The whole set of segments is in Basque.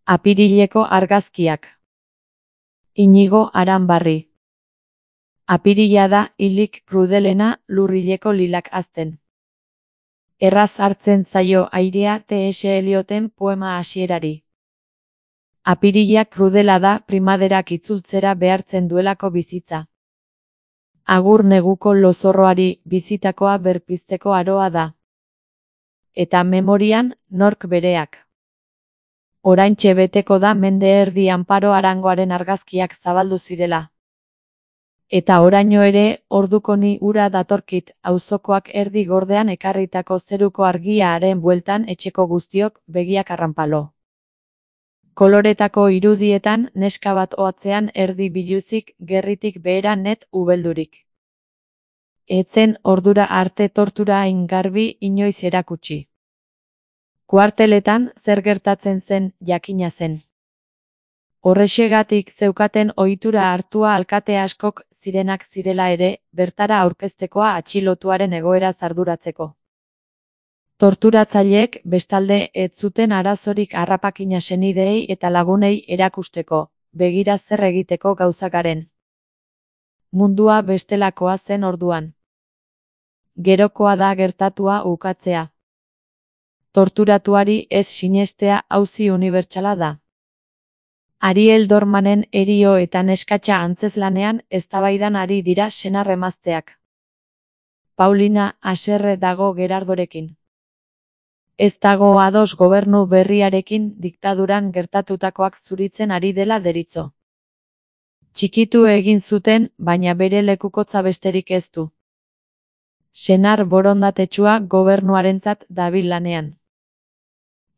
Apirileko argazkiak. Inigo Aranbarri. Apirila da hilik krudelena lurrileko lilak hazten. Erraz hartzen zaio airea T.S. Elioten poema hasierari. Apirila krudela da primaderak itzultzera behartzen duelako bizitza. Agur neguko lozorroari bizitakoa berpizteko aroa da. Eta memorian nork bereak. Oraintxe beteko da mende erdi Anparo Arangoaren argazkiak zabaldu zirela. Eta oraino ere ordukoni ura datorkit auzokoak erdi gordean ekarritako zeruko argia haren bueltan etxeko guztiok begiak arranpalo. Koloretako irudietan neska bat ohatzean erdi biluzik gerritik behera net ubeldurik. Etzen ordura arte tortura hain garbi inoiz erakutsi. Kuarteletan zer gertatzen zen jakina zen. Horrexegatik zeukaten ohitura hartua alkate askok zirenak zirela ere, bertara aurkeztekoa atxilotuaren egoera arduratzeko. Torturatzaileek bestalde ez zuten arazorik harrapakina senideei eta lagunei erakusteko, begira zer egiteko gauzakaren. Mundua bestelakoa zen orduan. Gerokoa da gertatua ukatzea. Torturatuari ez sinestea auzi unibertsala da. Ariel Dormanen erio eta neskatxa antzeslanean eztabaidan ari dira senar emazteak. Paulina haserre dago Gerardorekin. Ez dago ados gobernu berriarekin diktaduran gertatutakoak zuritzen ari dela deritzo. Txikitu egin zuten, baina bere lekukotza besterik ez du. Senar borondatetsua gobernuarentzat dabil lanean.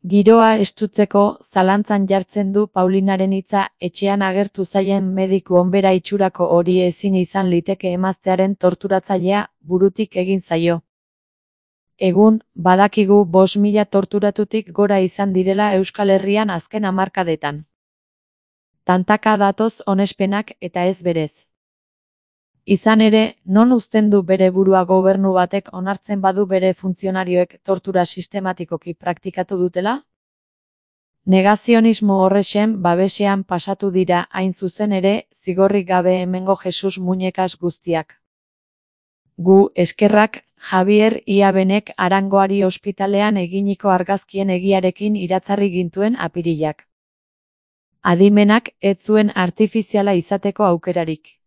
Giroa estutzeko zalantzan jartzen du Paulinaren hitza etxean agertu zaien mediku onbera itxurako hori ezin izan liteke emaztearen torturatzailea burutik egin zaio. Egun, badakigu 5.000 torturatutik gora izan direla Euskal Herrian azken hamarkadetan. Tantaka datoz onespenak eta ez berez. Izan ere, non uzten du bere burua gobernu batek onartzen badu bere funtzionarioek tortura sistematikoki praktikatu dutela? Negazionismo horrexen babesean pasatu dira hain zuzen ere zigorrik gabe hemengo Jesus muñekas guztiak. Gu eskerrak Javier Iabenek Arangoari ospitalean eginiko argazkien egiarekin iratzarri gintuen apirilak. Adimenak ez zuen artifiziala izateko aukerarik.